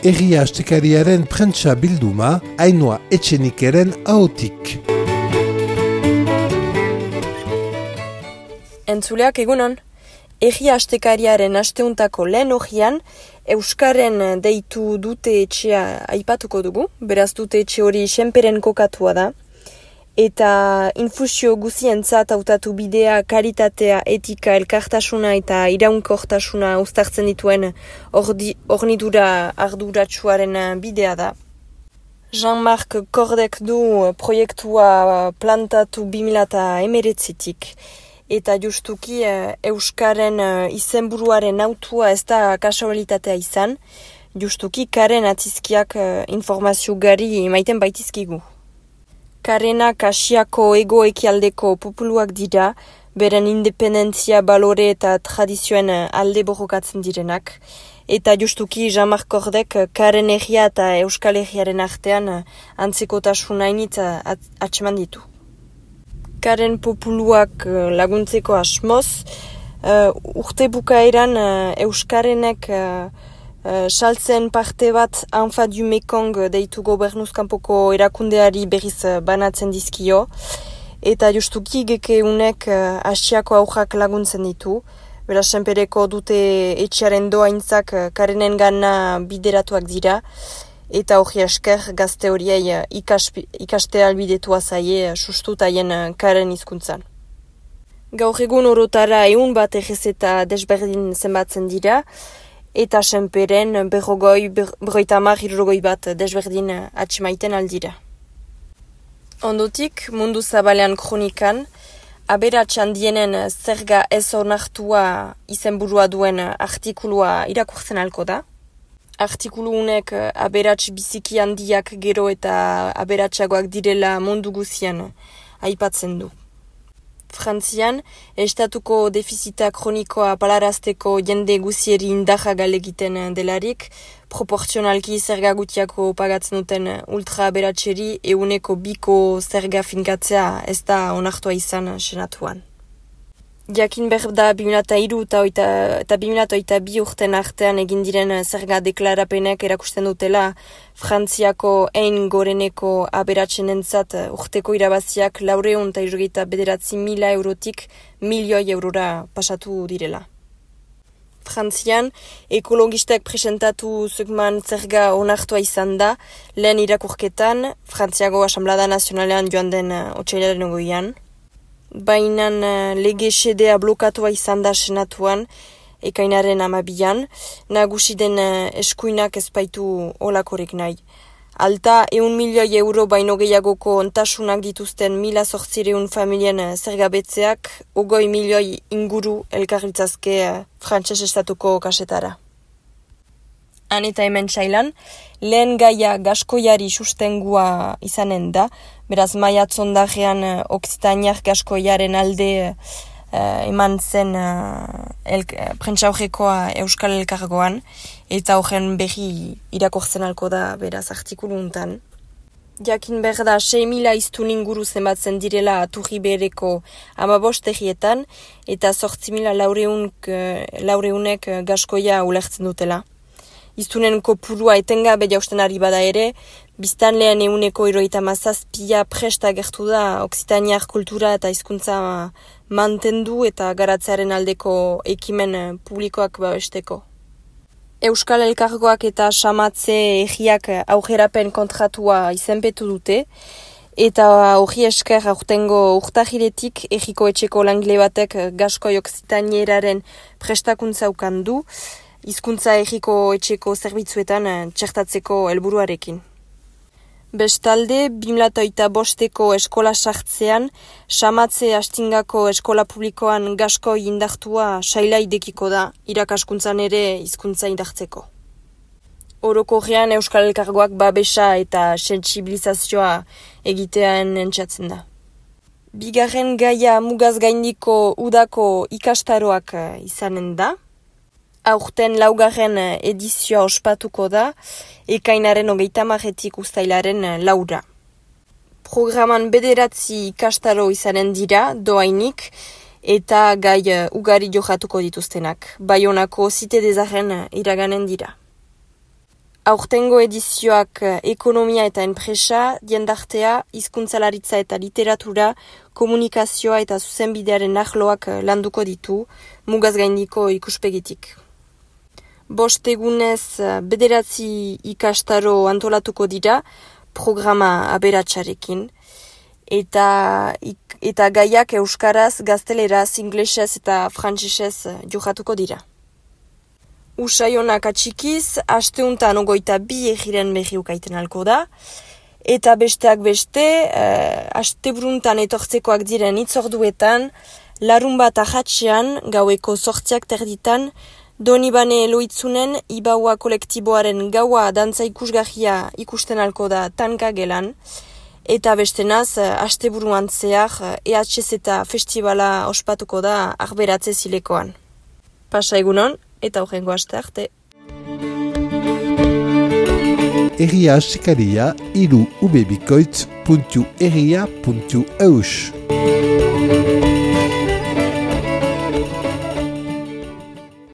Herria Astekariaren prentsa bilduma, Ainhoa Etxenikeren ahotik. Entzuleak egunon, Herria Astekariaren asteuntako lehen orrian, Euskaren deitu dute etxea aipatuko dugu, beraz dute etxe hori senperen kokatua da, eta infusio guzientzat hautatu bidea, karitatea, etika, elkartasuna eta iraunkortasuna uztartzen dituen hornidura arduratsuaren bidea da. Jean-Marc Cordek du proiektua plantatu 2019-tik, eta justuki Euskaren izenburuaren autua ez da kasualitatea izan, justuki Karen atizkiak informazio gari emaiten baitizkigu. Karenak Asiako ego-ekialdeko populuak dira, beren independentzia, balore eta tradizioen alde borrokatzen direnak, eta justuki Jean-Marc Cordek Karen herria eta Euskal Herriaren artean antzekotasuna hainitz atseman ditu. Karen populuak laguntzeko asmoz, urte bukaeran Euskarenek saltzen parte bat Anfa du Mekong deitu gobernuzkanpoko erakundeari berriz banatzen dizkio, eta justuki gekeunek Asiako aurrak laguntzen ditu, beraz senpereko dute etxearen doaintzak Karenen gana bideratuak dira, eta hori esker gazte horiei ikaste albidetua zaie sustutaien Karen hizkuntzan. Gaur egun orotara 100 bat errezeta desberdin zenbatzen dira, eta senperen 50 bat desberdin atxemaiten aldira. Ondotik, mundu zabalean kronikan, aberatsan dienen zerga ez onartua izenburua duen artikulua irakurtzen alko da. Artikulu unek aberats biziki handiak gero eta aberatsagoak direla mundu guzian aipatzen du. Frantzian, estatuko defizita kronikoa palarazteko jende guzieri indarra galegiten delarik, proportzionalki zerga gutiako pagatzen duten ultra aberatseri 2% zerga finkatzea ez da onartua izan senatuan. Jakin behar da 2003 eta 2022 urten artean egin diren zerga deklarapenek erakusten dutela Frantziako ein goreneko aberatsenentzat urteko irabaziak 479.000 eurotik milioi eurora pasatu direla. Frantzian, ekologistek presentatu zukman zerga onartua izan da, lehen irakurketan, Frantziago Asamblada Nazionalean joan den otsailaren 20an. Baina lege xedea blokatua izan da senatuan, ekainaren 12an, nagusi den eskuinak ezbaitu olakorek nahi. Alta 100 milioi euro baino gehiagoko ontasunak dituzten 1.800 familien zergabetzeak 20 milioi inguru elkarritzazke frantses estatuko kasetara. Han eta hemen txailan, lehen gaia gaskoiari sustengua izanen da, beraz maiatzondarean Okzitaniar gaskoiaren alde eman zen prentsaurrekoa Euskal Elkargoan, eta horren berri irakortzen alko da beraz artikulu untan. Jakin behar da 6.000 iztun inguru zenbatzen direla Turri Behereko 15 herrietan, eta 8.400 gaskoia ulertzen dutela. Iztunen kopurua etengabe jausten ari bada ere, biztanlean 177 presta gertu da Okzitaniar kultura eta hizkuntza mantendu eta garatzearen aldeko ekimen publikoak babesteko. Euskal Elkargoak eta Samatze herriak aurrerapen kontratua izenpetu dute, eta hori esker aurtengo urtahiletik herriko etxeko langile batek gaskoi Okzitanieraren prestakuntza ukandu, hizkuntza herriko etxeko zerbitzuetan txertatzeko helburuarekin. Bestalde, 2005ko eskola sartzean, Samatze astingako eskola publikoan gaskoi indartua saila idekiko da, irakaskuntzan ere hizkuntza indartzeko. Orokorrean Euskal Elkargoak babesa eta sentsibilizazioa egitean entzatzen da. Bigarren gaia mugaz gaindiko udako ikastaroak izanen da. Aurten 4. edizioa ospatuko da, ekainaren 30 uztailaren 4. Programan 9 ikastaro izanen dira, doainik, eta gai ugari johatuko dituztenak. Baionako Zite des Arren iraganen dira. Aurtengo edizioak ekonomia eta enpresa, diendartea, hizkuntzalaritza eta literatura, komunikazioa eta zuzenbidearen arloak landuko ditu, mugaz gaindiko ikuspegitik. 5 egunez 9 ikastaro antolatuko dira programa aberatsarekin, eta gaiak euskaraz, gazteleraz, inglesez eta frantsesez jokatuko dira. Usaionak atxikiz, asteuntan 22 egiren berri ukaiten alko da, eta besteak beste, asteburuntan etortzekoak diren itzorduetan, larun bat ahatxean, gaueko 8:00 Donibane Eloitzunen Ibaua kolektiboaren gaua dantza ikusgarria ikusten alko da Tanka gelan, eta bestenaz, asteburuan zehar, EHZ eta festivala ospatuko da Arberatze zilekoan. Pasa egunon, eta horrengo aste arte. Herria astekaria 3ubebikoitz.herria.eus